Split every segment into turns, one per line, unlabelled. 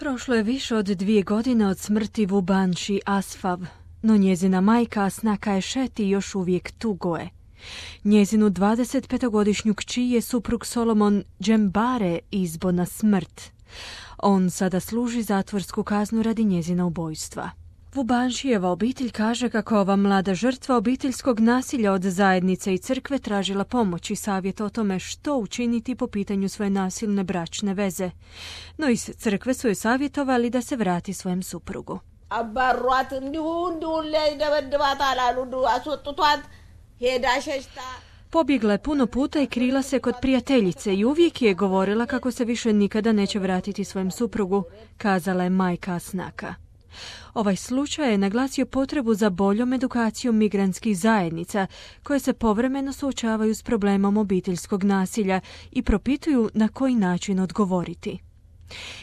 Prošlo je više od 2 godine od smrti Vubanši Asfav, no njezina majka Asnaka Ešeti još uvijek tugoje. Njezinu 25-godišnju kći je suprug Solomon Džembare izbo na smrt. On sada služi zatvorsku kaznu radi njezina ubojstva. Vubanšijeva obitelj kaže kako ova mlada žrtva obiteljskog nasilja od zajednice i crkve tražila pomoć i savjet o tome što učiniti po pitanju svoje nasilne bračne veze. No iz crkve su joj savjetovali da se vrati svojem suprugu. Pobjegla je puno puta i krila se kod prijateljice i uvijek je govorila kako se više nikada neće vratiti svojem suprugu, kazala je majka Asnaka. Ovaj slučaj je naglasio potrebu za boljom edukacijom migrantskih zajednica koje se povremeno suočavaju s problemom obiteljskog nasilja i propituju na koji način odgovoriti.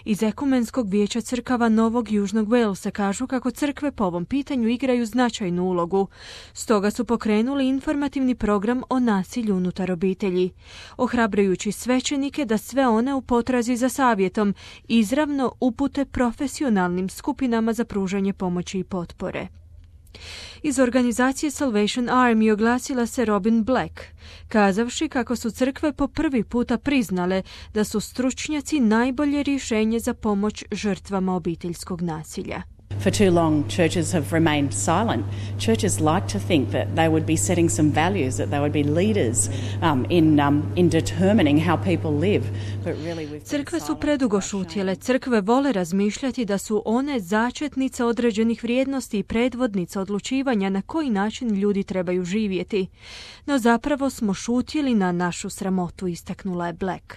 Iz Ekumenskog vijeća crkava Novog Južnog Walesa kažu kako crkve po ovom pitanju igraju značajnu ulogu. Stoga su pokrenuli informativni program o nasilju unutar obitelji, ohrabrujući svećenike da sve one u potrazi za savjetom izravno upute profesionalnim skupinama za pružanje pomoći i potpore. Iz organizacije Salvation Army oglasila se Robin Black, kazavši kako su crkve po prvi puta priznale da su stručnjaci najbolje rješenje za pomoć žrtvama obiteljskog nasilja.
For too long, churches have remained silent. Churches like to think that they would be setting some values, that they would be leaders in determining how people live. But really we've
Crkve su predugo šutjele. Crkve vole razmišljati da su one začetnice određenih vrijednosti i predvodnice odlučivanja na koji način ljudi trebaju živjeti. No zapravo smo šutjeli na našu sramotu, istaknula je Black.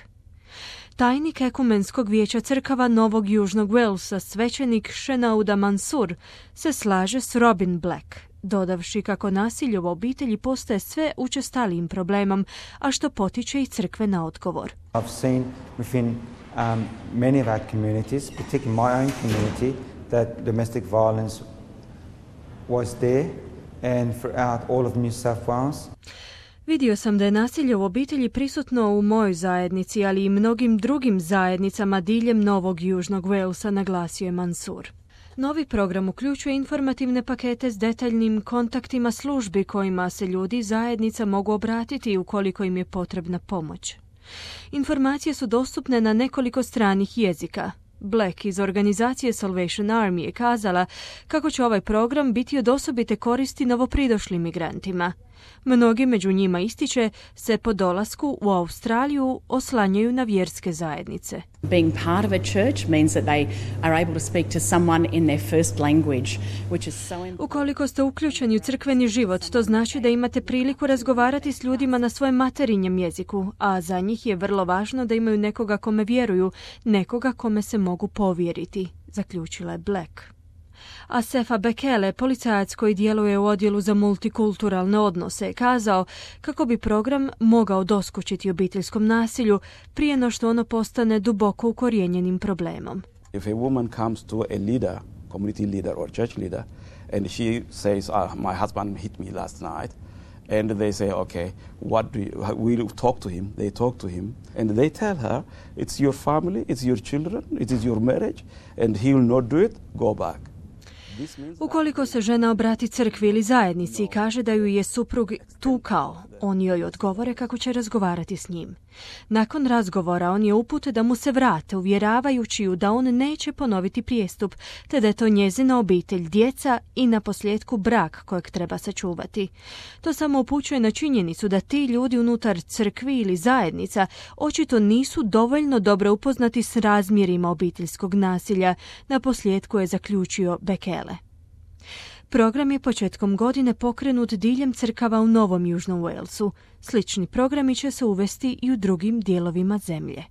Tajnik Ekumenskog vijeća crkava Novog Južnog Walesa, svećenik Shenauda Mansur, se slaže s Robin Black, dodavši kako nasilje u obitelji postaje sve učestalijim problemom, a što potiče i crkve na odgovor.
I've seen within many of our communities, particularly my own community, that domestic violence was there and throughout all of New South Wales.
Vidio sam da je nasilje u obitelji prisutno u mojoj zajednici, ali i mnogim drugim zajednicama diljem Novog Južnog Walesa, naglasio je Mansur. Novi program uključuje informativne pakete s detaljnim kontaktima službi kojima se ljudi i zajednica mogu obratiti ukoliko im je potrebna pomoć. Informacije su dostupne na nekoliko stranih jezika. Black iz organizacije Salvation Army je kazala kako će ovaj program biti od osobite koristi novopridošlim migrantima. Mnogi među njima, ističe, se po dolasku u Australiju oslanjaju na vjerske zajednice.
Being part of a church means that they are able to speak to someone in their first language, which is so important.
Ukoliko ste uključeni u crkveni život, to znači da imate priliku razgovarati s ljudima na svojem materinjem jeziku, a za njih je vrlo važno da imaju nekoga kome vjeruju, nekoga kome se mogu povjeriti, zaključila je Black. A Sefa Bekele, policajac koji djeluje u odjelu za multikulturalne odnose, kazao kako bi program mogao doskočiti obiteljskom nasilju prije no što ono postane duboko ukorijenjenim problemom.
If a woman comes to a leader, community leader or church leader, and she says, my husband hit me last night, and they say, okay, we'll talk to him. They talk to him, and they tell her, it's your family, it's your children, it is your marriage, and he will not do it, go back.
Ukoliko se žena obrati crkvi ili zajednici i kaže da ju je suprug tukao, oni joj odgovore kako će razgovarati s njim. Nakon razgovora on je upute da mu se vrate, uvjeravajući ju da on neće ponoviti prijestup, te da je to njezina obitelj, djeca i naposljetku brak kojeg treba sačuvati. To samo upućuje na činjenicu da ti ljudi unutar crkvi ili zajednica očito nisu dovoljno dobro upoznati s razmjerima obiteljskog nasilja, naposljetku je zaključio Bekele. Program je početkom godine pokrenut diljem crkava u Novom Južnom Walesu. Slični programi će se uvesti i u drugim dijelovima zemlje.